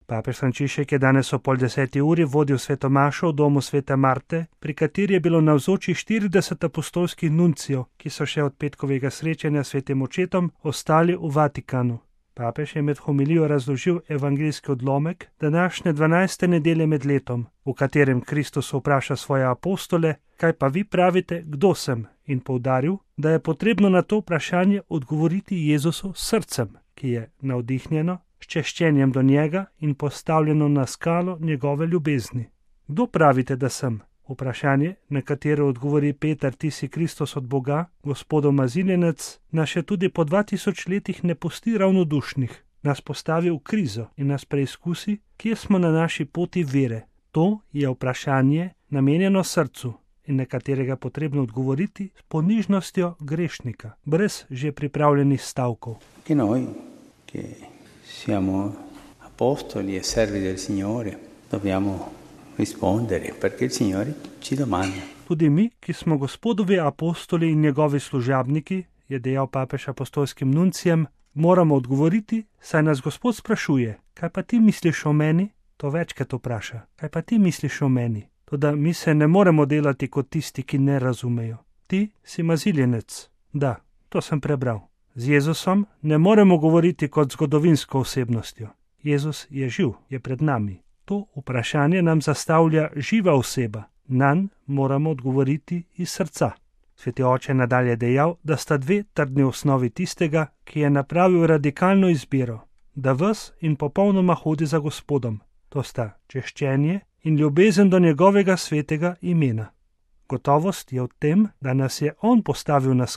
Papež Frančišek je danes o 9:30 vodil svetomašo v domu svete Marte, pri kateri je bilo navzočih 40 apostolskih nuncijev, ki so še od petkovega srečanja s svetim očetom ostali v Vatikanu. Papež je med homilijo razložil evangeljski odlomek današnje 12. nedelje med letom, v katerem Kristus vpraša svoje apostole, kaj pa vi pravite, kdo sem, in poudaril, da je potrebno na to vprašanje odgovoriti Jezusu s srcem, ki je navdihnjeno, s češčenjem do njega in postavljeno na skalo njegove ljubezni. Kdo pravite, da sem? Vprašanje, na katero odgovori Peter, ti si Kristus od Boga, Gospodov maziljenec, nas še tudi po 2000 letih ne pusti ravnodušnih, nas postavi v krizo in nas preizkusi, kje smo na naši poti vere. To je vprašanje namenjeno srcu in na katerega potrebno odgovoriti s ponižnostjo grešnika, brez že pripravljenih stavkov. Siamo apostoli e servi del Signore, dobbiamo rispondere perché il Signore ci domanda. Tudi mi, ki smo Gospodovi apostoli in njegovi služabniki, je dejal papež apostolskim nuncijem, moramo odgovoriti, saj nas Gospod sprašuje, kaj pa ti misliš o meni? To večkrat vpraša, kaj pa ti misliš o meni? Toda mi se ne moremo delati kot tisti, ki ne razumejo. Ti si maziljenec. Da, to sem prebral. Z Jezusom ne moremo govoriti kot zgodovinsko osebnostjo. Jezus je živ, je pred nami. To vprašanje nam zastavlja živa oseba. Nanj moramo odgovoriti iz srca. Sveti oče nadalje dejal, da sta dve trdni osnovi tistega, ki je napravil radikalno izbiro, da ves in popolnoma hodi za Gospodom. To sta češčenje in ljubezen do njegovega svetega imena. Gotovost je v tem, da nas je on postavil na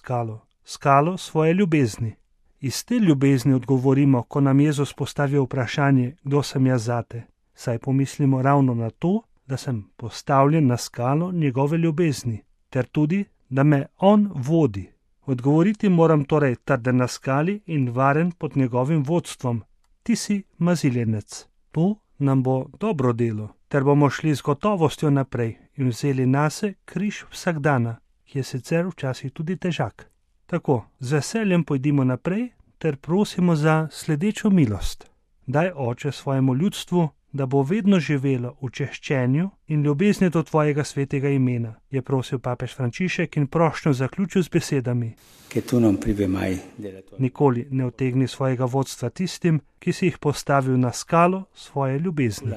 skalo svoje ljubezni. Iz te ljubezni odgovorimo, ko nam Jezus postavi vprašanje, kdo sem jaz zate. Saj pomislimo ravno na to, da sem postavljen na skalo njegove ljubezni, ter tudi, da me on vodi. Odgovoriti moram torej trden na skali in varen pod njegovim vodstvom. Ti si maziljenec. To nam bo dobro delo, ter bomo šli z gotovostjo naprej in vzeli nase križ vsakdana, ki je sicer včasih tudi težak. Tako, z veseljem pojdimo naprej ter prosimo za sledečo milost. Daj, Oče, svojemu ljudstvu, da bo vedno živelo v češčenju in ljubezni do tvojega svetega imena, je prosil papež Frančišek in prošnjo zaključil z besedami. Nikoli ne utegni svojega vodstva tistim, ki si jih postavil na skalo svoje ljubezni.